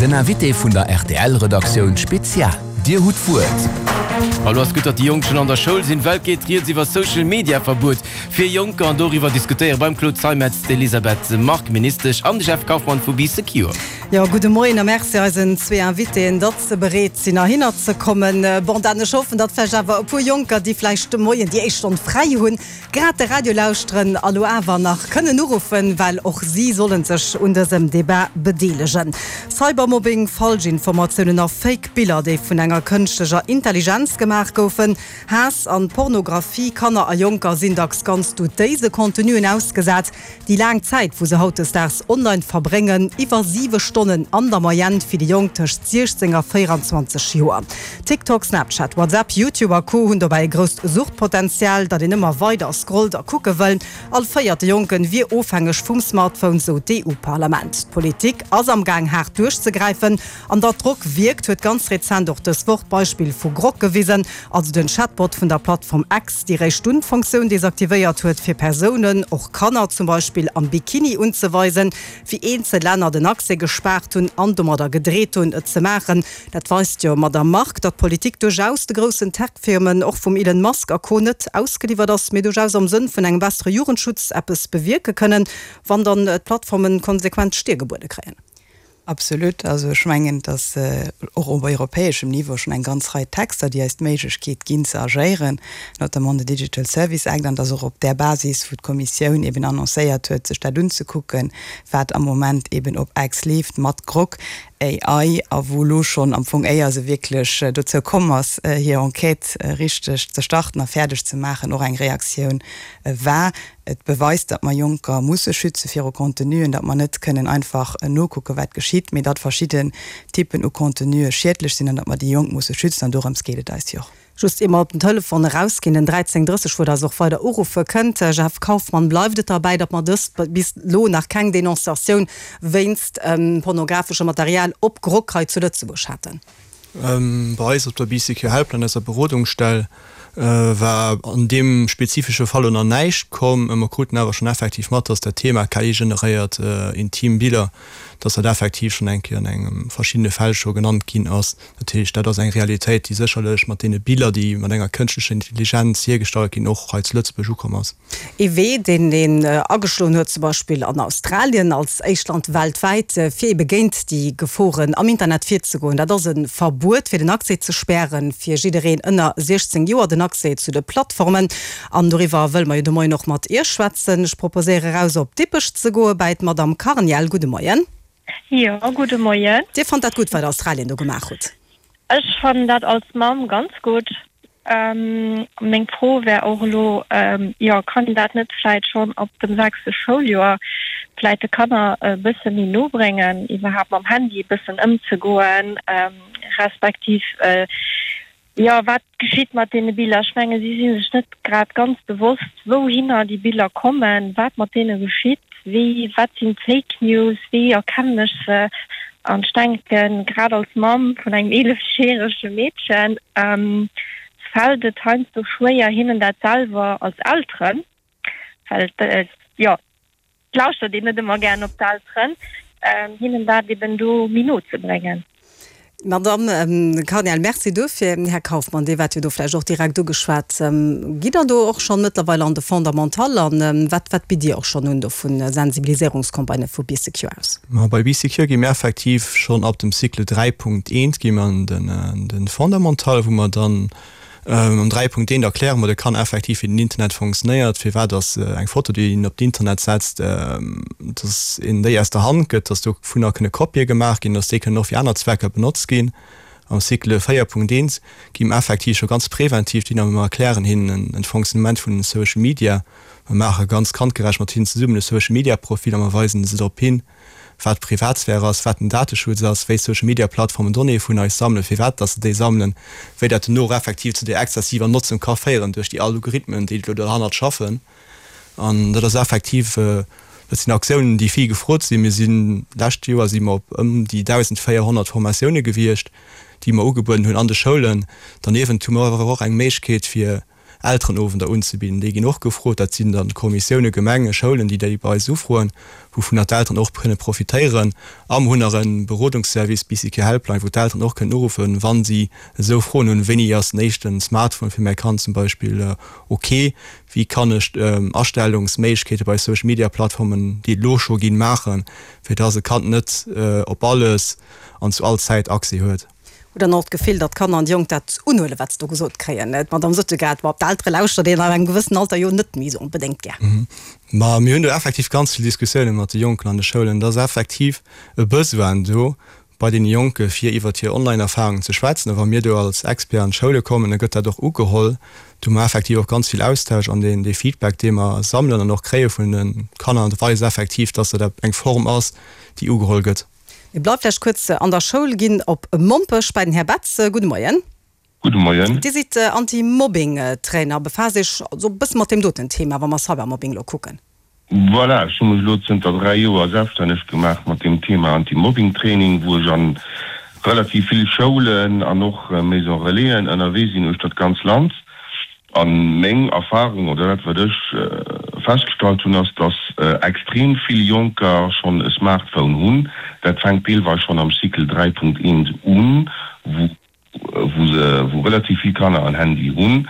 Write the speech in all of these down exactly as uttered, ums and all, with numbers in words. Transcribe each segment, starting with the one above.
Den Invité vun der R T L-Redaktioun Spezial. Dir hutt d'Wuert. Hallo, ass gutt, datt déi Jonk schonn an der Schoul sinn. Well geet rieds iwwer Social Media Verbuet fir Jonker an doriwwer diskutéiere beim Claude Zeimetz d'Elisabeth Margue, Ministesch, an de Jeff Kaufmann vu Bee Secure. Jo, gudde Moien a Merci eisen zwee Invitéen, datt se bereet sinn heihinner ze kommen. Bon, dann ech hoffen, datt vläicht awer e puer Jonker, déi vläicht de Moien déi éischt Stonn fräi hunn, grad de Radio lauschteren a lo awer nach kënnen uruffen, well och si sollen sech un dësem Debat bedeelegen. Cybermobbing, Falschinformatiounen a Fake Biller, déi vun enger kënschtlecher Intelligenz gemaach goufen, Haass an Pornografie, Kanner a Jonker sinn dacks ganz dutéise Contenuen ausgesat. Déi laang Zäit, wou se hautdesdaags online verbréngen, iwwer siwe Stonnen an der Moyenne fir déi Jonk tëscht siechzéng a véierenzwanzeg Joer. TikTok, Snapchat, WhatsApp, YouTube a Co. Hunn dobäi e grousst Suchtpotenzial, datt een ëmmer weider scrollt a kucke wëll. All véierte Jonke wier ofhängeg vum Smartphone, sou d'E U-Parlament. D'Politik ass am Gaang haart duerchzegräifen an datt Drock wierkt, huet ganz rezent och dës Woch d'Beispill vu Grok gewisen, also den Chatbot vun der Plattform X, déi réischt dunn d'Funktioun desaktivéiert huet, fir Persounen, och Kanner zum Beispill, am Bikini unzeweisen, wéi eenzel Länner den Accès gespaart hunn an domadder gedreet hunn, et ze maachen. Dat weist jo, Madamm Margue, datt d'Politik duerchaus de groussen Tech-Firmen, och vum Elon Musk a Co. Net ausgeliwwert ass, mee duerchaus am Sënn vun engem bessere Jugendschutz eppes bewierke kënnen, wann dann d'Plattformen konsequent d'Stier gebuede kréien. Absolut, also ech mengen, dass och op europäeschem Niveau schonn eng ganz Rei Texter, déi eis d'Méiglechkeet ginn ze agéieren, notamment de Digital Service Act, an dass och op där Basis, wou d'Kommissioun eben annoncéiert huet, sech dat unzekucken, wat am Moment eben op X leeft mat Grok A I, a wou lo schonn am Fong, éier se wierklech dozou komm ass, hir Enquête richteg ze starten a fäerdeg ze maachen, och eng Reaktioun war. Et beweist, datt mer Jonker musse schütze viru Contenuen, datt mer net kënnen einfach nokucken, wat geschitt, mee datt verschidden Typen u Contenue schiedlech sinn an datt mer déi Jonk musse schützen, an dorëms geet et eis jo och. Just ier mer op den Telefon erausginn, den dräizéng drësseg, wou der eis och weider uruffe kënnt. Jeff Kaufmann, bleift et derbäi, datt mer dëst bis elo nach keng Denonciatioun wéinst pornografeschem Material op Grok hei zu Lëtzebuerg haten? Bei eis op der Bee Secure Helpline, eiser Berodungsstell, war an deem spezifesche Fall nach näischt komm. Mer kruten awer schonn effektiv mat, datt dat Thema K I-generéiert intim Biller, datt dat effektiv schonn eng Kéier an engem verschiddene Fäll scho genannt ginn ass. Dat heescht, dat ass eng Realitéit, déi sécherlech mat deene Biller, déi mat enger kënschtlecher Intelligenz hiergestallt ginn, och hei zu Lëtzebuerg ukomm ass. Ee Wee, deen een ageschloen huet, zum Beispill an Australien als éischt Land weltwäit, fir ebe géint déi Geforen am Internet virzegoen, dat ass e Verbuet, fir den Accès ze spären, fir jiddereen ënner siechzéng Joer den Accès zu de Plattformen. An doriwwer wëlle mer jo de Moien och mat Iech schwätzen. Ech proposéiere eraus op Dippech ze goe bei d'Madame Carniel. Gudde Moien. Jo, gudde Moien. Dir fannt dat gutt, wat Australien do gemaach huet? Ech fannen dat als Mamm ganz gutt. Ähm, meng Fro wär och elo, ähm, jo, kann een dat net vläicht schonn ab dem sechste Schouljoer vläicht de Kanner e bësse méi no bréngen, iwwerhaapt mam Handy e bëssen ëmzegoen, ähm, respektiv äh, jo, wat geschitt mat deene Biller? Ech menge si sinn sech net grad ganz bewosst, wouhinner déi Biller kommen, wat mat deene geschitt, wéi, wat sinn Fake News, wéi erkennen ech se? An ech denken, grad als Mamm vun engem eelefjärege Meedchen, ähm, fält et heiansdo schwéier, hinnen dat selwer als Elteren, well äh, jo, lauschtert een net ëmmer gär op d'Elteren, ähm, hinnen dat eben do méi no ze bréngen. Madame ähm, Carniel, Merci dofir. Här Kaufmann, Dir waart jo do vläicht och direkt ugeschwat. Ähm, gitt Der do och schonn mëttlerweil an de Fondamental an ähm, wat, wat bitt Dir och schonn un do vu Sensibiliséierungscampagnë vu Bee Secure aus? Ma bei Bee Secure gi mir effektiv schonn ab dem Cycle dräi Punkt eent gi mer an den, äh, den Fondamental, wou mer dann ähm, am dräi Punkt eent erkläre mer de Kanner effektiv, wéi den Internet funktionéiert, firwat dass äh, eng Foto, déi een op d'Internet setzt, ähm, dass een déi aus der Hand gëtt, dass dovunner kënne Kopië gemaach ginn, dass déi kënnen och fir aner Zwecker benotzt ginn. Am Cycle véier Punkt eent gi mer effektiv scho ganz präventiv, déi mer erklären hinnen den Fonctionnement vun den Social Media. Mer maache ganz kandgerecht mat hinnen zesummen e Social Media Profil a mer weisen se drop hin, wat Privatsphär ass, wat den Dateschutz ass, wéi Social Media Plattformen Donnéeë vun eis sammelen, firwat dass se déi sammelen, wéi dat duerno och effektiv zu der exzessiver Notzung ka féieren duerch déi Algorithmen, déi do derhannert schaffen. An dat ass effektiv, dat sinn Aktiounen, déi vill gefrot sinn. Mir sinn lescht Joer si mer op ëm déi dausendvéierhonnert Formatioune gewiescht, déi mer ugebueden hunn an de Schoulen. Derniewent hu mer awer och eng Méiglechkeet fir Elterenowender unzebidden. Déi ginn och gefrot. Dat sinn dann Kommissioune, Gemengen, Schoulen, déi déi bei eis ufroen, wouvunner d'Elteren och kënne profitéieren. A mer hunn nach e Berodungsservice, Bee-Secure Helpline, wou d'Elteren och kënnen uruffen, wa si esou Froen hunn, Wéini ass den éischte Smartphone fir mäi Kand zum Beispill ok? Wéi kann ech Astellungsméiglechkeete bei Social Media Plattformen, déi et elo scho ginn, maachen, fir dass e Kand net op alles an zu all Zäit Accès huet? Hutt Der och d'Gefill, datt d'Kanner an déi Jonk dat unhuelen, wat se do gesot kréien? D'Madame Suttegaard, Ma op d'Eltere lauschtert een ab engem gewëssenen Alter jo net méi esou onbedéngt gär. Ma mir hunn do effektiv ganz vill Diskussioune mat de Jonken an de Schoulen. Et ass effektiv e Besoin do bei deene Jonke fir iwwert hir Online-Erfarungen ze schwätzen. A wa mir do als Expert an d'Schoule kommen, da gëtt dat och ugeholl. Do hu mer effektiv och ganz vill Austausch an deen dee Feedback, dee mer sammelen an och kréie vun de Kanner, weist effektiv, dass dat eng Form ass, déi ugeholl gëtt. Mir bleiwe vläicht kuerz an der Schoul, ginn op Mompech bei den Här Betz. Gudde Moien. Gudde Moien. Dir sidd Anti-Mobbing-Trainer, befaasst Iech also e bësse mat deem doten Thema, wa mer Cybermobbing elo kucken. Voilà, ech hu mech elo zënter dräi Joer selbststänneg gemaach mat deem Thema Anti-Mobbing-Training, wou ech a relativ vill Schoulen an och Maison Relaisen ënnerwee sinn uechter d'ganz Land. A meng Erfahrung, oder dat wat ech festgestallt hunn, ass, dass extrem vill Jonker schonn e Smartphone hunn. Dat fänkt deelweis schonn am Cycle dräi Punkt eent un, wou wou se wou relativ vill Kanner en Handy hunn.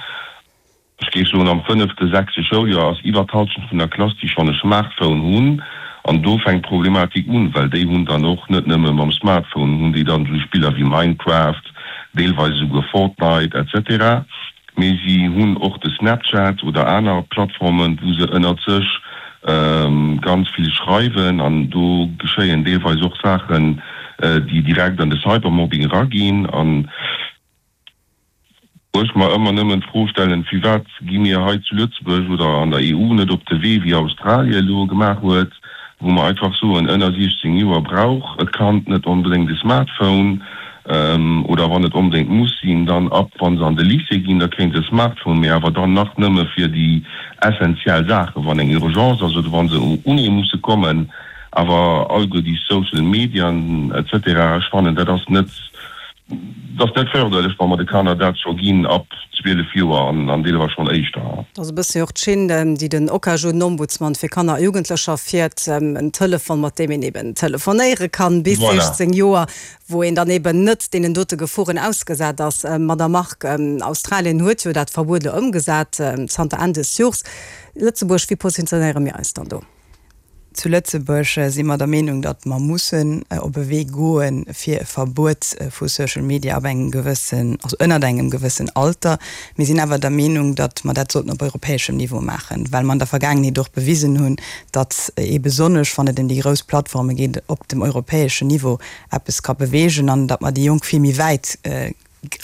Ech géif soen, am fënnefte, sechste Schouljoer ass iwwer d'Halschent vun der Klass, déi schonn e Smartphone hunn. An do fänkt d'Problematik un, well déi hunn dann och net nëmme mam Smartphone hunn déi dann esou Spiller wéi Minecraft, deelweis esouguer Fortnite et cetera, mee si hunn och de Snapchat oder aner Plattformen, wou se ënnert sech ganz vill schreiwen. An do geschéien deelweis och Saachen, déi direkt an de Cybermobbing eraginn. An Wou ech mer ëmmer nëmmen d'Fro stellen, Firwat gi mir hei zu Lëtzebuerg oder an der E U net op de Wee wéi Australien elo gemaach huet, wou mer einfach soen, ënner siechzéng Joer brauch e Kand net onbedéngt e Smartphone, oder wann et onbedéngt muss sinn, dann ab wa se an de Lycée ginn, da kréie se e Smartphone, mee awer dann nach nëmme fir déi essentiell Saachen, wann eng Urgence ass oder wa se un ee musse kommen. Awer alleguer déi Social Medien et cetera, ech fannen, dat ass net. Et ass net förderlech, wa mer de Kanner dat scho ginn ab zwielef Joer an deelweis schonn éischter. Dat ass e bësse jo och d'Schinn, déi den Okaju-Ombudsman fir Kanner a Jugendlecher fiert, en Telefon, mat deem een eben telefonéiere kann bis siechzéng Joer, wou een dann eben net deenen dote Geforen ausgesat ass. Madamm Margue, Australien huet jo dat Verbuet elo ëmgesat zanter Enn des Jors. Lëtzebuerg, wéi positionéiere mir eis dann do? Zu Lëtzebuerg si mer der Meenung, datt mer mussen op e Wee goe fir e Verbuet vu Social Media ab engem gewëssen, also ënnert engem gewëssen Alter. Mir sinn awer der Meenung, datt mer dat sollten op europäeschem Niveau maachen, well mer an der Vergaangenheet och bewisen hunn, datt ee besonnesch, wann et ëm déi grouss Plattforme geet, op dem europäeschen Niveau eppes ka beweegen an datt mer déi Jonk vill méi wäit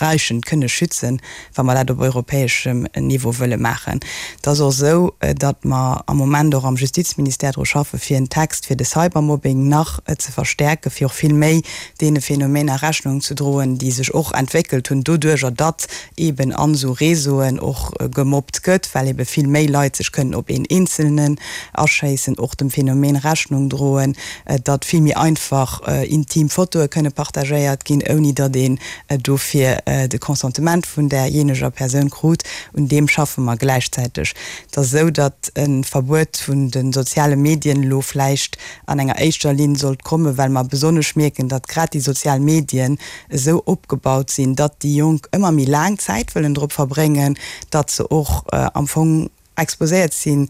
räichend kënne schützen, wa mer dat op europäeschem Niveau wëlle maachen. Et ass och esou, datt mer am Moment och am Justizministère dru schaffe fir en Text fir de Cybermobbing nach ze verstärken, fir och vill méi deene Phänomener Rechnung ze droen, déi sech och entwéckelt hunn doduerjer, datt eeben an esou Réseauen och gemobbt gëtt, well ebe vill méi Leit sech kënnen op een Eenzelnen aschéissen, och dem Phänomen Rechnung droen, datt vill méi einfach intim Fotoe kënne partagéiert ginn, ouni datt een dofir de Consentement vun därjeeneger Persoun krut, un deem schaffe mer gläichzäiteg. Et ass esou, datt e Verbuet vun de soziale Medien elo vläicht an enger éischter Linn sollt kommen, well mer besonnesch mierken, datt grad déi sozial Medien esou opgebaut sinn, datt déi Jonk ëmmer méi laang Zäit wëllen drop verbréngen, datt se och am Fong exposéiert sinn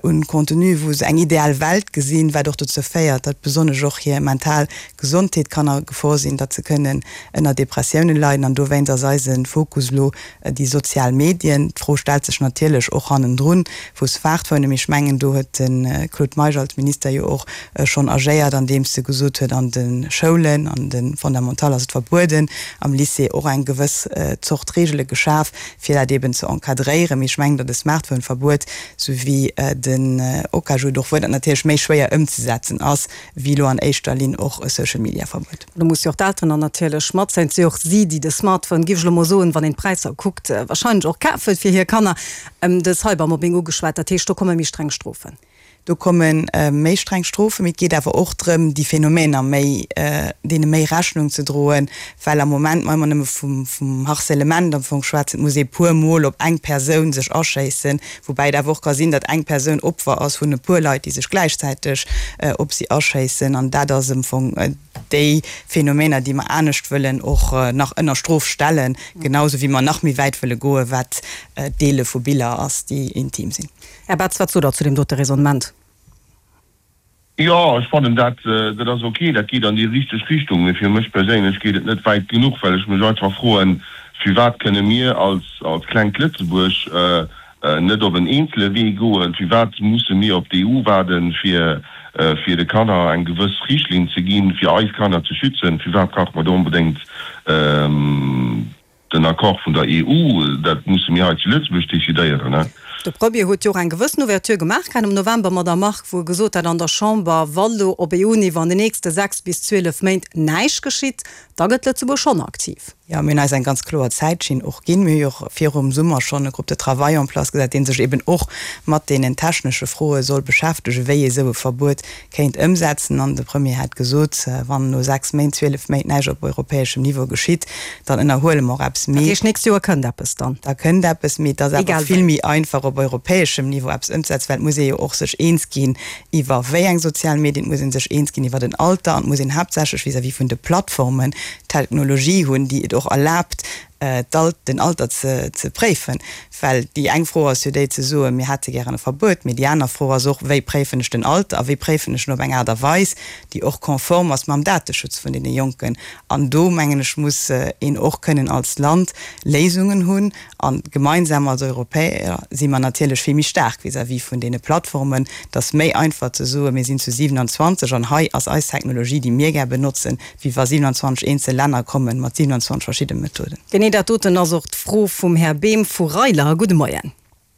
un Contenu, wou se eng ideal Welt gesinn, wat och dozou féiert, datt besonnesch och hir mental Gesondheet kann a Gefor sinn, datt se kënnen ënner Depressiounen leiden. An dowéinst ass eise Fokus elo déi sozial Medien. D'Fro stellt sech natierlech och hannendrun vu Smartphonen, mee ech mengen, do huet de Claude Meisch als Minister jo och schonn agéiert, andeems e gesot huet, an de Schoulen, an de Fondamental ass et verbueden, am Lycée och eng gewëss Zort Reegele geschaf, fir dat eeben ze encadréieren. Mee ech mengen, datt e Smartphone-Verbuet, sou wéi den Okaju et och fuerdert, natierlech méi schwéier ëmzesetzen ass, wéi elo an éischter Linn och e Social-Media-Verbuet. Do musse jo och d'Elteren dann natierlech matzéien. Et si jo och si, déi de Smartphone, géif ech elo mol soen, wann een d'Präisser kuckt, warscheinlech och kafe fir hir Kanner. De Cybermobbing ugeschwat, dat heescht, do komme méi streng Strofen. Do komme méi streng Strofen, mee et geet awer och drëm, déi Phänomener méi, deene méi Rechnung ze droen, well am Moment mer ëmmer nëmme vum, vum Harcèlement am Fong schwätzen. Et muss ee puer Mol op eng Persoun sech aschéissen, woubäi et awer och ka sinn, datt eng Persoun Opfer ass vun e puer Leit, déi sech gläichzäiteg op si aschéissen. An dat ass am Fong déi Phänomener, déi mer anescht wëllen och nach ënner Strof stellen, genau sou wéi mer nach méi wäit wëlle goen, wat d'Deele vu Biller ass, déi intim sinn. Här Betz, wat sot Der zu deem dote Raisonnement? Jo, ech fannen dat, dat ass ok, dat geet an déi richteg Richtung. Mee fir mech perséinlech geet et net wäit genuch, well ech mech einfach froen, Firwat kënne mir als, als klengt Lëtzebuerg net op en eenzele Wee goen? Firwat musse mir op d'EU waarden, fir, fir de Kanner eng gewëss Richtlinn ze ginn, fir eis Kanner ze schützen? Firwat brauche mer do onbedéngt Den Accord vun der EU, dat musse mir hei zu Lëtzebuerg decidéieren. De Premier huet jo och eng gewëssen Ouverture gemaach gehat am November, Madamm Margue, wou e gesot hat an der Chamber, wa lo op EU-Niveau an den nächste sechs bis zwielef Méint näischt geschitt, da gëtt Lëtzebuerg schonn aktiv. Jo, mir hunn eis eng ganz kloer Zäitschinn och ginn. Mir hu jo och virum Summer schonn e Groupe de travail en place gesat, dee sech eben och mat deenen technesche Froe soll beschäftegen, wéi ee sou e Verbuet kéint ëmsetzen. An de Premier hat gesot, wann no sechs Méint, zwielef Méint näischt op europäeschem Niveau geschitt, dann ënnerhuele mer och eppes. Dat heescht, d'nächst Joer kënnt eppes dann? Da kënnt eppes, mee et ass awer vill méi einfach op europäeschem Niveau eppes ëmzesetzen, well et muss ee jo och sech eens ginn iwwer wéi eng sozial Medien, et muss ee sech eens ginn iwwer den Alter an et muss een haaptsächlech vis-à-vis vun de Plattformen Technologie hunn, déi et och erlaabt, den Alter ze préifen. Well déi eng Fro ass jo déi ze soen, mir hätte gären e Verbuet, mee déi aner Fro ass och, wéi préifen ech den Alter a wéi préifen ech en op eng Aart a Weis, déi och konform ass mam Dateschutz vun deene Jonken. An do, mengen ech, muss een och kënnen als Land Léisungen hunn. A gemeinsam als Europäer si mer natierlech vill méi staark vis-à-vis vun deene Plattformen. Et ass méi einfach ze soen, mir sinn zu siewenundzwanzeg an hei ass eis Technologie, déi mir gär benotzen, wéi wa siewenundzwanzeg eenzel Länner komme mat siewenundzwanzeg verschidde Methoden. Genee dat doten ass och d'Fro vum Här Behm vu Reiler. Gudde Moien.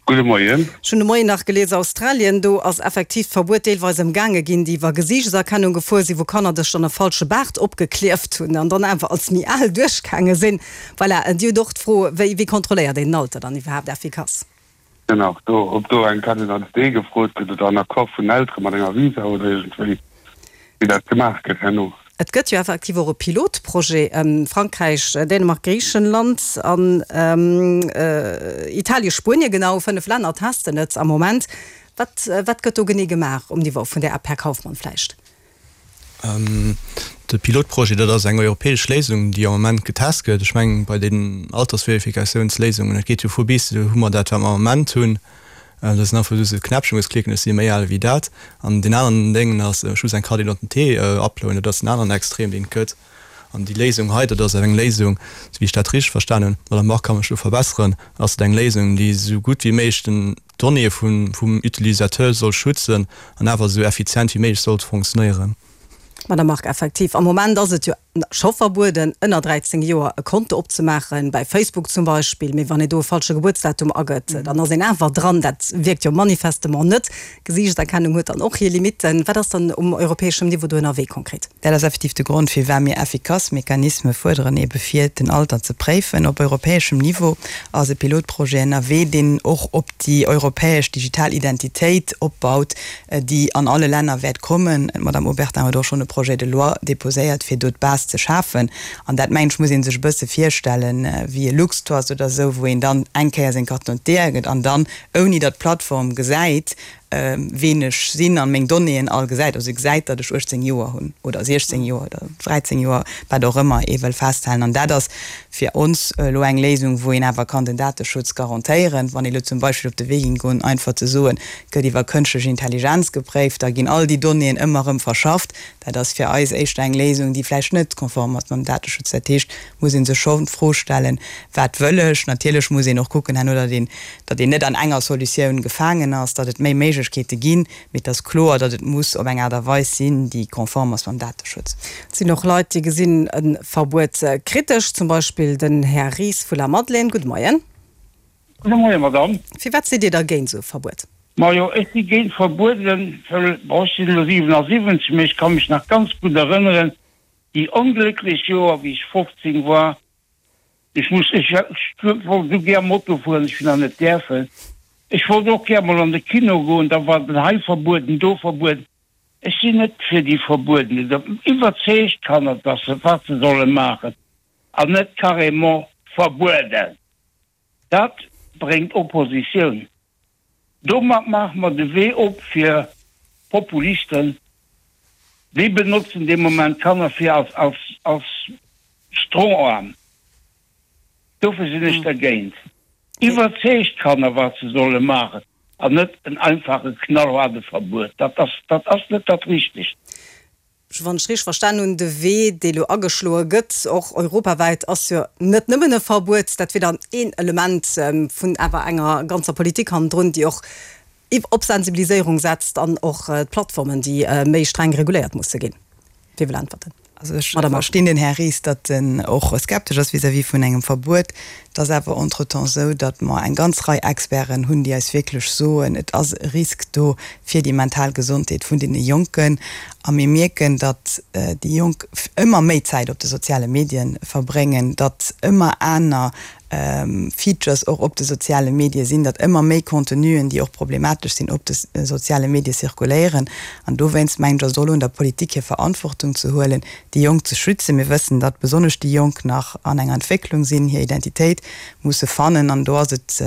Gudde Moien. Ech hunn de Moien nach gelies, Australien, do ass effektiv d'Verbuet deelweis ëmgaange ginn, déi iwwer Gesiichtserkennung gefuer sinn, wou Kanner dech dann e falsche Baart opgeklieft hunn an dann awer als méi al duerchgaange sinn. Voilà, Dir hutt och d'Fro, wéi wéi kontrolléiert een den Alter dann iwwerhaapt effikass? Genau, do, ob do eng Carte d'identité gefrot gëtt oder en Accord vun den Eltere mat enger Visa oder iergendwéi, wéi dat gemaach gëtt herno. Et gëtt jo effektiv och e Pilotprojet, Frankräich, Dänemark, Griichenland an Italien, Spuenien, genau fënnef Länner testen et am Moment. Wat, wat gëtt do genee gemaach um Niveau vun där App, Här Kauffmann vläicht? De Pilotprojet, dat ass eng europäesch Léisung, déi am Moment getest gëtt. Ech mengen, bei den Altersverifikatiounsléisungen, et geet jo vu bis, do hu mer dat, wat mer am Moment hunn, Dat ass einfach just e Knäppchen, wou s klicken, ech si méi al wéi dat. An deen aneren Déngen ass, ech muss eng Carte d'identité uploaden. Dat ass den aneren Extrem, deen et gëtt. An déi Léisung hei, dat ass awer eng Léisung, esou wéi ech dat richteg verstan hunn, d'Madame Margue ka mech do verbesseren, ass et eng Léisung, déi esou gutt wéi méiglech den d'Donnéeë vum Utilisateur soll schützen an awer esou effizient wéi méiglech sollt fonctionnéieren. Madame Margue, Effektiv, am Moment ass et jo scho verbueden, ënner dräizéng Joer e Konto opzemaachen, bäi Facebook zum Beispill. Mee wann een do e falsche Gebuertsdatum agëtt, dann ass een awer dran. Dat wierkt jo manifestement net. Gesiichtserkennung huet dann och hir Limitten. Wat ass dann um europäeschem Niveau do ënnerwee konkret? Dat ass effektiv de Grond, firwat mir effikass Mechanisme fuerderen, ebe fir den Alter ze préifen. Op europäeschem Niveau ass e Pilotprojet ënnerwee, deen och op déi europäesch digital Identitéit opbaut, déi an alle Länner wäert kommen. D'Madame Obertin huet och schonn e Projet de loi déposéiert, fir do d'Base ze schafen. An dat, mengen ech, muss ee sech e bësse virstellen, wéi e Luxtrust oder esou, wou een dann eng Kéier seng Carte d'identité agëtt an dann, ouni datt d'Plattform gesäit, ween ech sinn an meng Donnéeën all gesäit, also gesäit, datt ech uechtzéng Joer hunn oder siechzéng Joer oder dräizéng Joer, wat och ëmmer ee wëll festhalen. An dat ass fir ons elo eng Léisung, wou een awer kann den Dateschutz garantéieren. Wann ee elo zum Beispill op de Wee géing goen, einfach ze soen, et gëtt iwwer kënschtlech Intelligenz gepréift, da ginn all déi Donnéeën ëmmer erëm verschafft, dat ass fir eis éischter eng Léisung, déi vläicht net konform ass mam Dateschutz. Dat heescht, muss ee sech schonn d'Fro stellen, Wat wëll ech? Natierlech muss een och kucken herno, datt een, datt een net an enger Solutioun gefaangen ass, datt et méi Méiglechkeete ginn, mee et ass kloer, datt et muss op eng Aart a Weis sinn, déi konform ass mam Dateschutz. Et sinn och Leit, déi gesinn e Verbuet kritesch, zum Beispill den Här Ries vu Lamadelaine. Gudde Moien. Gudde Moien, Madame. Firwat sidd Dir da géint esou e Verbuet? Majo, ech si géint Verbueden, well, bon, ech sinn elo siwenasiwwenzeg, mee ech ka mech nach ganz gutt erënneren, déi onglécklech Joer, wéi ech fofzéng war, Ech muss, ech wollt esou gär Moto fueren, ech hunn nach net däerfen. Ech wollt och gär mol an de Kino goen, da war den hei verbueden, do verbueden. Ech sinn net fir déi Verbueden. Iwwerzeegt d'Kanner, dass se, wat se solle maachen, an net carrément verbueden. Dat bréngt Oppositioun. Domat maache mer de Wee op fir Populisten. Déi benotzen dee Moment d'Kanner fir als, als, als Stroharm. Dofir sinn ech dergéint. Iwwerzeegt d'Kanner, wat se solle maachen, an net en einfache knallhaarde Verbuet. Dat ass, dat ass net dat Richtegt. Wann ech richteg verstan hunn, de Wee, dee lo ageschloe gëtt, och europawäit, ass jo net nëmmen e Verbuet. Dat wier dann een Element vun awer enger ganzer Politik hannendrun, déi och op Sensibiliséierung setzt an och d'Plattformen, déi méi streng reguléiert musse ginn. Wie wëll äntwerten? Also ech verstinn den Här Ries, datt en och skeptesch ass vis-à-vis vun engem Verbuet. Et ass awer entretemps esou, datt mer eng ganz Rei Experten hunn, déi eis wierklech soen, et ass e Risk do fir déi mental Gesondheet vun deene Jonken. A mir mierken, datt déi Jonk ëmmer méi Zäit op de soziale Medien verbréngen, datt ëmmer aner Features och op de soziale Medie sinn, datt ëmmer méi Contenuen, déi och problematesch sinn, op de soziale Medie zirkuléieren. An dowéinst mengen ech, ass et och elo un der Politik, hir Verantwortung ze huelen, déi Jonk ze schützen. Mir wëssen, datt besonnesch déi Jonk nach an enger Entwécklung sinn, hir Identitéit musse fannen. An do ass et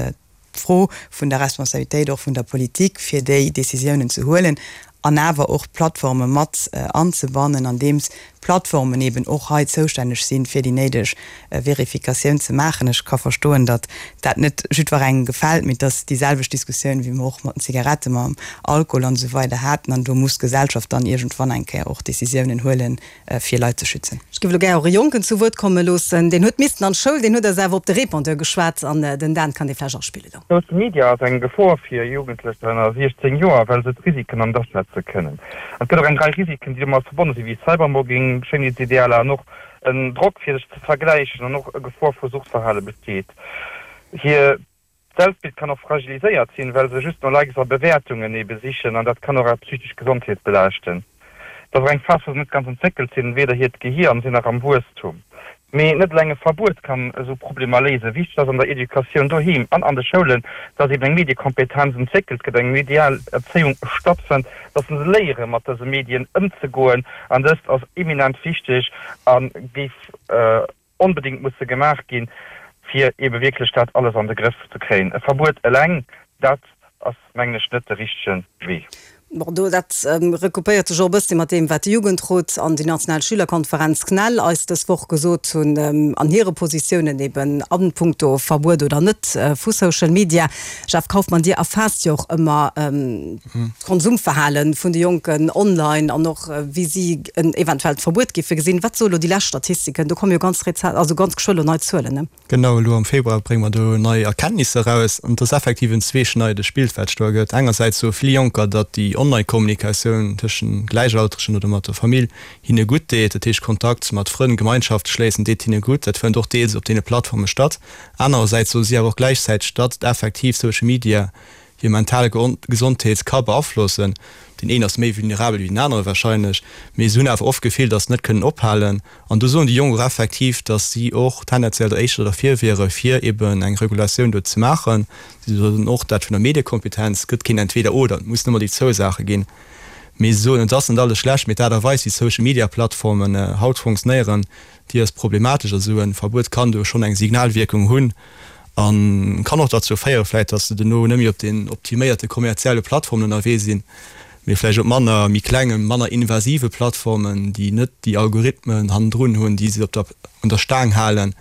d'Fro vun der Responsabilitéit och vun der Politik, fir déi Décisiounen ze huelen an awer och d'Plattforme mat anzebannen, andeems d'Plattformen eben och hei zoustänneg sinn, fir déi néideg Verifikatioun ze maachen. Ech ka verstoen, datt dat net jiddwerengem gefält, mee et ass déi selwecht Diskussioun, wéi mer och mat den Zigaretten, mam Alkohol an esou weider haten. An do muss d'Gesellschaft dann iergendwann eng Kéier och Décisiounen huelen, fir Leit ze schützen. Ech géif elo gär och e Jonken zu Wuert komme loossen. Deen huet missten an d'Schoul, deen huet eis awer op de Répondeur geschwat an den Dan kann dee vläicht aspillen elo. Social Media ass eng Gefor fir Jugendlecher ënner siechzéng Joer, well se d'Risiken ënnerschätze kënnen. An et gëtt och eng Rei Risiken, déi domat verbonne sinn, wéi Cybermobbing, Schéinheetsidealer an och en Drock fir sech ze vergläichen an och e Gefor vu Suchtverhale besteet. Hir Selbstbild kann och fragiliséiert sinn, well se just no Likes a Bewäertungen ebe sichen an dat kann och är psychesch Gesondheet belaaschten. Et ass och eng Phas, wou se net ganz entwéckelt sinn, weder hiert Gehier an sinn nach am Wuesstum. Mee net eleng e Verbuet kann esou Problemer léisen. Wichteg ass an der Educatioun doheem an an de Schoulen, dass eben eng Mediekompetenz entwéckelt gëtt, eng medial Erzéiung stattfënnt, dass se léiere mat dëse Medien ëmzegoen. An dëst ass eminent wichteg a géif onbedéngt musse gemaach ginn, fir ebe wierklech dat alles an de Grëff ze kréien. E Verbuet eleng, dat ass, mengen ech, net de richtege Wee. Bon, do, dat recoupéiert sech och e bëssi mat deem, wat de Jugendrot an déi national Schülerkonferenz CNEL eis dës Woch gesot hunn an hire Positiounen eben a punkto Verbuet oder net vu Social Media. Jeff Kaufmann, Dir erfaasst jo och ëmmer d'Konsumverhale vun de Jonken online an och wéi si en eventuellt Verbuet géife gesinn. Wat soe lo déi lescht Statistiken? Do komme jo ganz rezent, also ganz geschwë lo nei Zuelen, ne? Genau, elo am Februar brénge mer do nei Erkenntnisser eraus. An et ass effektiv en zweeschneidegt Bild, wat sech do ergëtt. Engersäits soe vill Jonker, datt déi Online-Kommunikatioun tëschent Gläichaltregen oder mat der Famill hinne gutt deet. Dat heescht, Kontakt mat Frënn, Gemeinschaft schléissen deet hinne gutt. Dat fënnt och deels op deene Plattforme statt. Anerersäits soe si awer och gläichzäiteg, datt effektiv Social Media hir mental Gesondheet ka beaflossen. Deen een ass méi vulnerabel wéi den anere wahrscheinlech, mee se hunn awer oft d'Gefill, datt se net kënnen ophalen. An do soen déi Jonk och effektiv, datt si och tendenziell der éischter derfir wiere fir eben eng Regulatioun do ze maachen. Si soen och dat vun der Mediekompetenz gëtt keen Entweder-oder, et mussen ëmmer déi zwou Saache ginn. Mee se soen, et ass net alles schlecht, mee d'Aart a Weis wéi Social Media Plattformen haut funktionéieren, déi ass problematesch. A sou e Verbuet kann do schonn eng Signalwierkung hunn. A kann och derzou féiere vläicht, datt se duerno net méi op den optiméierte kommerzielle Plattformen ënnerwee sinn, mee vläicht op manner, méi klengen, manner invasive Plattformen, déi net déi Algorithmen hannendrun hunn, déi se op der, un der Staang halen,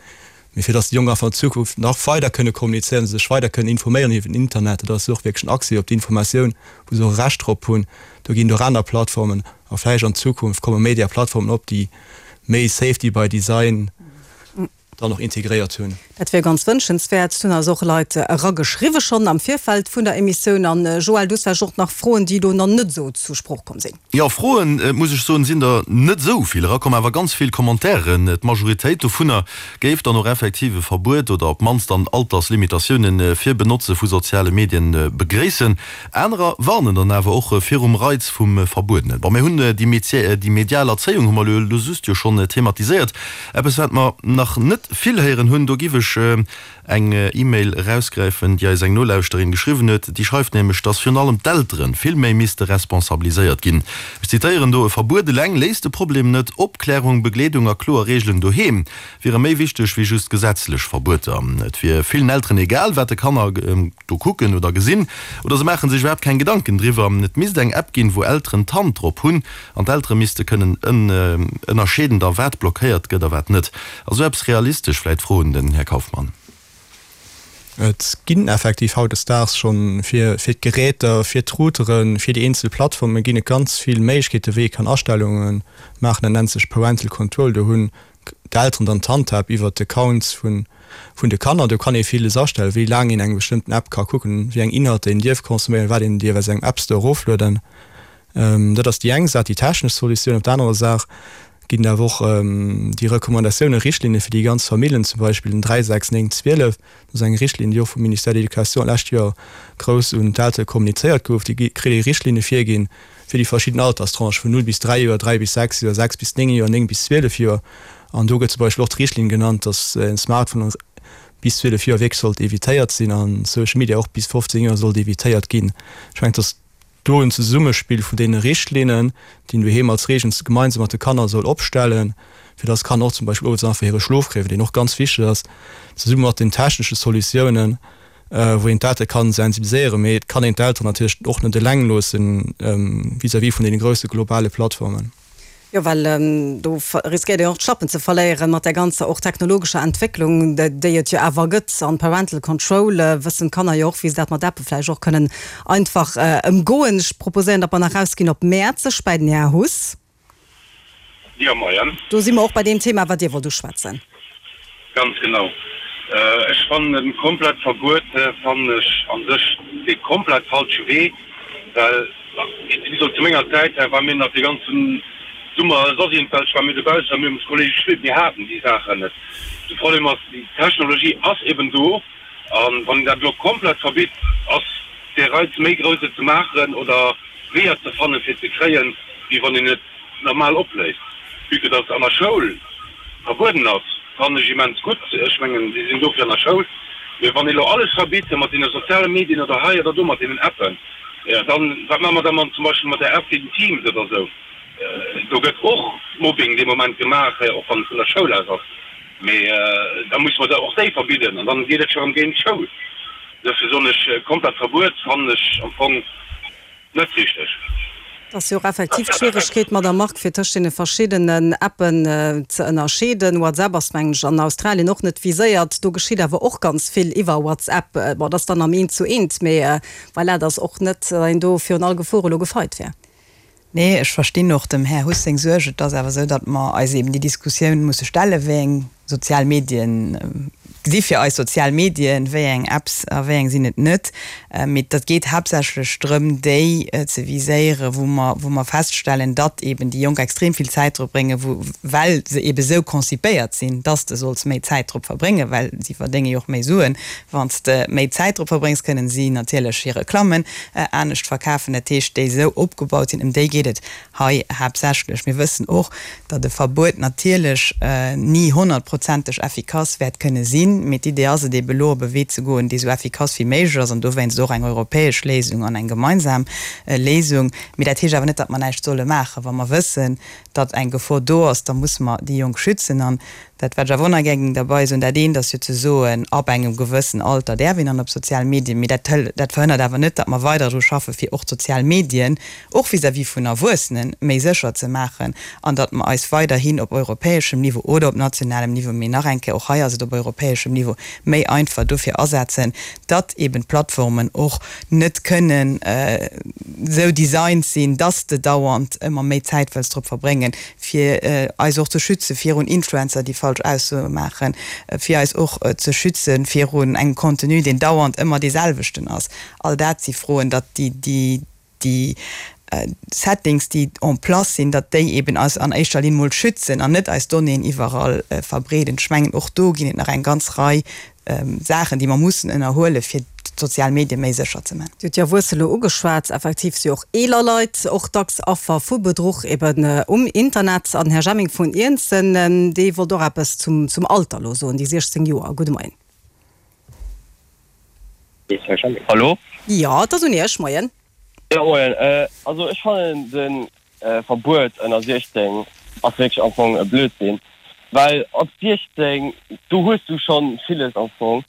mee fir datt déi Jonk einfach an Zukunft nach weider kënne kommunizéieren, sech weider kënnen informéieren iwwer den Internet. Dat ass jo och wierklech en Accès op d'Informatioun, wou se och e Recht drop hunn. Do ginn et och aner Plattformen a vläicht an Zukunft komme méi där Plattformen op, déi méi Safety by Design dann och integréiert hunn. Dat wier ganz wënschenswäert. Et hunn eis och Leit erageschriwwe schonn am Virfeld vun der Emissioun. An Joël, du hues vläicht och nach Froen, déi elo nach net esou zur Sprooch komm sinn. Jo, Froen, muss ech soen, sinn der net esou vill erakomm, awer ganz vill Commentairen. D'Majoritéit dovunner géif dann och effektiv e Verbuet oder op d'mannst dann Alterslimitatioune fir Benotze vu soziale Medien begréissen. Anerer warnen dann awer och virum Reiz vum Verbuedenen. Bon, mir hunn déi medial Erzéiung hu mer elo just jo schonn thematiséiert. Eppes, wat mer nach net vill héieren hunn, do giff ech ech eng E-Mail erausgräifen, déi eis eng Nolauschterin geschriwwen huet. Déi schreift nämlech, dass virun allem d'Eltere vill méi misste responsabiliséiert ginn. Ech zitéieren do, E Verbuet eleng léist de Problem net. Opklärung, Begleedung a kloer Reegelen doheem wiere méi wichteg wéi just gesetzlech Verbueter. Et wier villen Elteren egal, wat de Kanner do kucken oder gesinn, oder se maache sech iwwerhaapt keng Gedanken driwwer. Et misst eng App ginn, wou Elteren d'Hand drop hunn an d'Eltere misste kënnen ënnerscheeden, da wat blockéiert gëtt a wat net. Ass esou eppes realistesch? Vläicht Fro un den Här Kaufmann. Et ginn effektiv hautdesdaags schonn fir fir d'Geräter, fir d'Routeren, fir déi eenzel Plattforme ginn et ganz vill Méiglechkeete wéi ee kann Astellunge maachen. Dat nennt sech Parental Control. Do hunn d'Elteren dann d'Handhab iwwert d'Accounts vun vun de Kanner. Do kann ee villes astellen, wéi laang een eng bestëmmten App ka kucken, wéi eng Inhalter een dierf consomméieren, wat een dierf aus engem App Store eroflueden. Dat ass déi eng Saach, déi technesch Solutioun. Op der anerer Saach ginn et awer och déi Recommandatiounen, Richtlinne fir déi ganz Famillen, zum Beispill den dräi, sechs, néng, zwielef. Dat ass eng Richtlinn, déi och vum Ministère de l'Éducation d'lescht Joer grouss un d'Eltere kommunizéiert gouf. Déi kritt ee Richtlinne virginn fir déi verschidden Alterstranchë vun null bis dräi Joer, dräi bis sechs Joer, sechs bis néng Joer, néng bis zwielef Joer. An do gëtt zum Beispill och d'Richtlinn genannt, datt e Smartphone bis zwielef Joer wierklech sollt evitéiert sinn a Social Media och bis fofzéng Joer sollt evitéiert ginn. Ech mengen, datt do en Zesummespill vun deene Richtlinnen, déi een doheem als Reegelen gemeinsam mat de Kanner soll opstellen, fir datt d'Kanner och zum Beispill owes einfach hire Schlof kréien, deen och ganz wichteg ass, zesumme mat den technesche Solutiounen, wou een d'Eltere kann sensibiliséieren. Mee et kann een d'Elteren natierlech och net eleng loossen vis-à-vis vun deene grousse globale Plattformen. Jo, well do riskéiert een och d'Schlappen ze verléieren mat där ganzer och technologescher Entwécklung, déi et jo awer gëtt. An Parental Control wëssen d'Kanner jo och, wéi se dat mat Appe vläicht och kënnen einfach ëmgoen. Ech proposéieren, datt mer nach rausginn op Mäerzeg bäi den Här Huss. Jo, moien. Do si mer och bei deem Thema, wat Dir wollt uschwätzen. Ganz genau. Ech fannen e komplett Verbuet fannen ech a sech dee komplett falsche Wee, well wéi gesot zu menger Zäit war mir nach dee ganzen Summer soss iergendwelch war mir dobaussen a mir hu mat Kollege gespillt, mir haten déi Saachen net. De Problem ass, déi Technologie ass eben do a wann een dat elo komplett verbitt, ass dee Reiz méi grouss et ze maachen oder Weeër ze fannen fir et ze kréien, wéi wann een et normal opléist. Vue que dass an der Schoul verbueden ass, fannen ech immens gutt. Ech mengen, si sinn dofir an der Schoul. Mee wann ee lo alles verbitt mat deene soziale Medien oder hei oder do mat deenen Appen, dann, wat maache mer da mat zum Beispill mat där App wéi den Teams oder esou? Do gëtt och Mobbing dee Moment gemaach, och wann et vun der Schoul aus ass. Mee da musse mer der och déi verbidden an dann geet et scho rëm géint d'Schoul. Dofir soen ech, komplett Verbuet fannen ech am Fong net richteg. Et ass jo och effektiv d'Schwieregkeet, Madame Margue, fir tëscht deene verschiddenen Appen ze ënnerscheeden. WhatsApp ass, mengen ech, an Australien och net viséiert. Do geschitt awer och ganz vill iwwer WhatsApp. Bon, dat ass dann am Eent zu Eent, mee voilà, et ass och net, datt een do virun all Gefor elo gefeit wär. Nee, ech verstinn och dem Här Huss seng Suerg. Et ass awer esou, datt mer eis eben déi Diskussioun musse stellen, wéi eng sozial Medien si fir eis sozial Medien, wéi eng Apps a wéi eng sinn et net. Mee dat geet haaptsächlech drëm, déi ze viséieren, wou mer, wou mer feststellen, datt eben déi Jonk extrem vill Zäit drop bréngen, wou, well se eben esou konzipéiert sinn, datt s de solls méi Zäit drop verbréngen, well si verdénge jo och méi Suen, wann s de méi Zäit drop verbréngs, kënnen si natierlech hir Reklammen anescht verkafen. Dat heescht, déi esou opgebaut sinn, ëm déi geet et hei haaptsächlech. Mir wëssen och, datt e Verbuet natierlech ni honnertprozenteg effikass wäert kënne sinn, mee d'Idee ass et ebe elo op e Wee ze goen, dee sou effikass wéi méiglech ass an dowéinst och eng europäesch Léisung an eng gemeinsam Léisung. Mee dat heescht awer net, datt mer näischt solle maachen. Wa mer wëssen, datt eng Gefor do ass, da musse mer déi Jonk schützen. An dat, wat ech awer och nach gär géing derbei soen, dat eent ass jo ze soen, ab engem gewëssen Alter däerf een dann op sozial Medien, mee dat dat verhënnert awer net, datt mer weider dru schaffen, fir och d'sozial Medien, och vis-à-vis vun Erwuessenen, méi sécher ze maachen an datt mer eis weiderhin op europäeschem Niveau oder op nationalem Niveau, mee nach eng Kéier, och hei ass et op europäeschem Niveau méi einfach, dofir asetzen, datt eeben d'Plattformen och net kënnen esou designt sinn, datt s de dauernd ëmmer méi Zäit wëlls drop verbréngen, fir eis och ze schütze virun Influencer, déi falsch Aussoe maachen, fir eis och ze schütze virun engem Contenu, deen dauernd ëmmer dee selwechten ass. All dat si Froen, datt déi, déi Settings, déi en place sinn, datt déi eben eis an éischter Linn mol schützen an net eis Donnéeën iwwerall verbreeden. Ech mengen, och do ginn et nach eng ganz Rei Saachen, déi mer mussen ënnerhuelen, fir d'sozial Medie méi sécher ze man. Dir hutt déi Erwuesse lo ugeschwat. Effektiv si och eeler Leit och dacks Affer vu Bedruch eben um Internet. An den Här Jemming vun Iernzen, dee wollt och eppes zum zum Alter elo soen, déi siechzéng Joer. Gudde Moien. Hallo? Jo, et ass un Iech. Moien. Jo, moien. Also ech fannen de Verbuet ënner siechzéng ass wierklech am Fong e Blödsinn, well ab siechzéng do hues du schonn villes am Fong,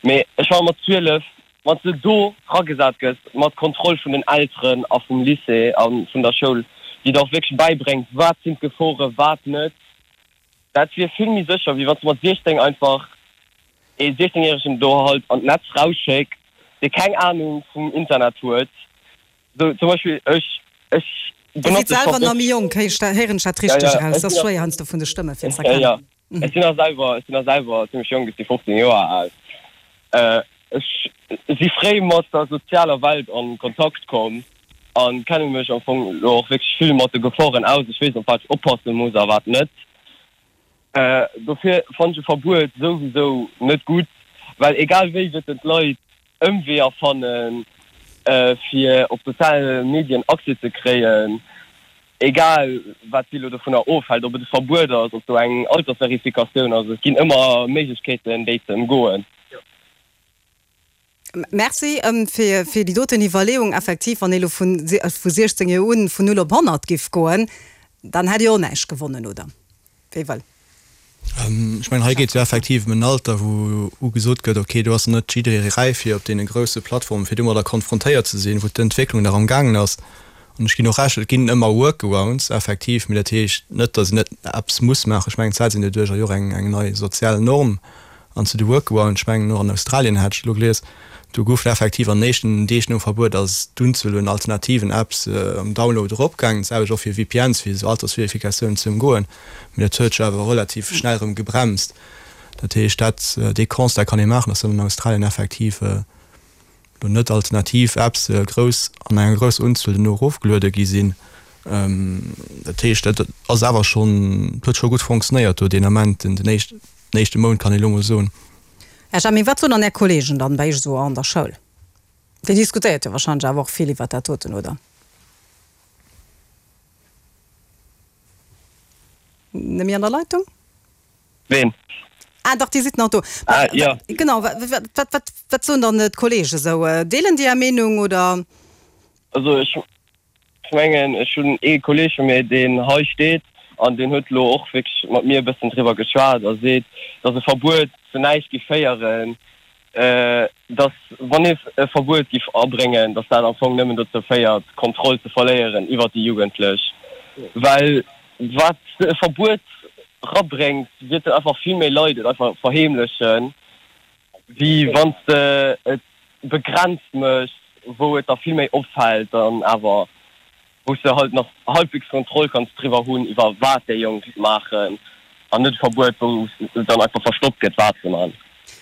mee ech fannen mat zwielef, wann s de do ragesat gëss mat Kontroll vun den Elteren a vum Lycée a vun der Schoul, déi der och wierklech bäibréngt wat sinn d'Geforen, wat net, dat wier vill méi sécher wéi wann s de mat siechzéng einfach ee siechzéngjäregen do halt an d'Netz rausschécks, dee keng Anung vum Internet huet. Sou zum Beispill ech, ech Dir sidd benotze selwer scho nach méi jonk, héieren ech dat Ja, richteg ja, eraus? ech Et ass sinn schwéier heiansdo vun de Stëmme fir ze Ja, ja, erkennen. ech sinn nach selwer, ech sinn nach selwer zimmlech jonk, ech si fofzéng Joer al. Ech si fréi mat der sozialer Welt an Kontakt komm an kenne mech am Fong elo och wierklech vill mat de Geforen aus. Ech weess op wat ech oppasse muss a wat net. Dofir fannen ech e Verbuet souwisou net gutt, well egal wéi wäerten d'Leit Ëmweeër fannen, fir op soziale Medien Accès ze kréien, egal wat si elo dovunner ofhält, ob et e Verbuet ass, ob do eng Altersverifikatioun ass, et ginn ëmmer Méiglechkeeten, déi ze ëmgoen. Merci fir déi doten Iwwerleeung. Effektiv, wann ee lo vu siechzéng Joer un vun null op honnert giff goen, dann hätt Dir och näischt gewonnen, oder? Wéi wëll. Ech mengen, hei geet et jo effektiv ëm en Alter, wou ugesot gëtt, okay, do ass net jidderee räif fir op deene grousse Plattformen, fir domadder konfrontéiert ze sinn, wou d'Entwécklung nach amgaangen ass. An ech ginn och Recht, et ginn ëmmer Workarounds, effektiv, mee dat heescht net, datt een net eppes muss maachen. Ech mengen, d'Zäit sinn doduercher jo och eng nei sozial Norm. An zu de Workarounds, ech mengen och an Australien hat ech elo gelies, do goufen effektiv an den éischten Deeg nom Verbuet ass d'Unzuel un alternativen Apps am Download eropgaangen, d'selwecht och fir V P Ns, fir esou Altersverifikatiounen ze ëmgoen. Mee dat huet sech awer relativ schnell erëm gebremst. Dat heescht, dat, dee Constat kann ee maachen, dass dann an Australien effektiv elo net alternativ Apps grouss an enger grousser Unzuel duerno erofgeluede gi sinn. Dat heescht, dat ass awer schonn, huet scho gutt fonctionnéiert do deen Ament, den éischte Mount, kann ee elo mol soen. Här Jamin, wat soen dann Är Kollegen dann bei Iech esou an der Schoul? Dir diskutéiert jo wahrscheinlech awer och vill iwwert dat doten, oder? Net méi an der Leitung? Ween? Ah dach, Dir sidd nach do. Ah, jo. Genau, wat, wat, wat soen dann d'Kollegen esou? Deelen déi Är Meenung, oder? Also ech mengen, ech hunn ee Kolleeg vu mir, deen hei steet an deen huet elo och wierklech mat mir e bëssen driwwer geschwat a seet, datt e Verbuet zu näischt géif féieren, datt wann ee e Verbuet géif abréngen, datt dat am Fong nëmmen dozou féiert, d'Kontroll ze verléieren iwwert déi Jugendlech. Well wat e Verbuet rabréngt, wäerten einfach vill méi Leit et einfach verheemlechen, wéi wann s de et begrenzt méchs, wou et der vill méi opfält dann awer, wou s de halt nach halbwegs Kontroll kanns driwwer hunn, iwwer wat déi Jonk maachen, an net e Verbuet, wou dann einfach verstoppt gëtt, wat se man.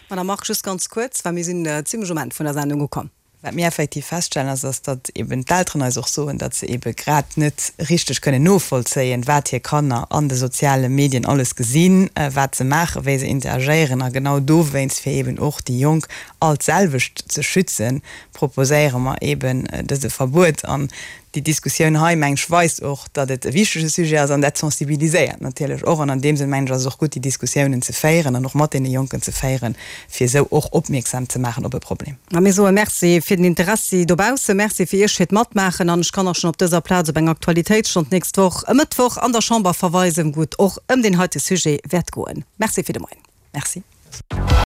Madame Margue, just ganz kuerz, well mir sinn zimlech um Enn vun der Sendung ukomm. Wat mir effektiv feststellen, ass, ass datt eben d'Elteren eis och soen, datt se ebe grad net richteg kënnen novollzéien, wat hir Kanner an de soziale Medien alles gesinn, wat se maachen, wéi se interagéieren. A genau dowéinst, fir eben och déi Jonk all d'selwecht ze schützen, proposéiere mer eben dëse Verbuet. An déi Diskussioun hei, meng ech, weist och, datt et e wichtege Sujet ass an dat sensibiliséiert natierlech och. An an deem Sënn, mengen ech, ass et och gutt, déi Diskussiounen ze féieren an och mat deene Jonken ze féieren, fir esou och opmierksam ze maachen op e Problem. A mir soe Merci fir den Interessi dobaussen, Merci fir Iech fir d'Matmaachen an ech kann och schonn op dëser Plaz op eng Aktualitéitsstonn d'nächst Woch e Mëttwoch an der Chamber verweisen, wou et och ëm deen heite Sujet wäert goen. Merci fir de Moien. Merci.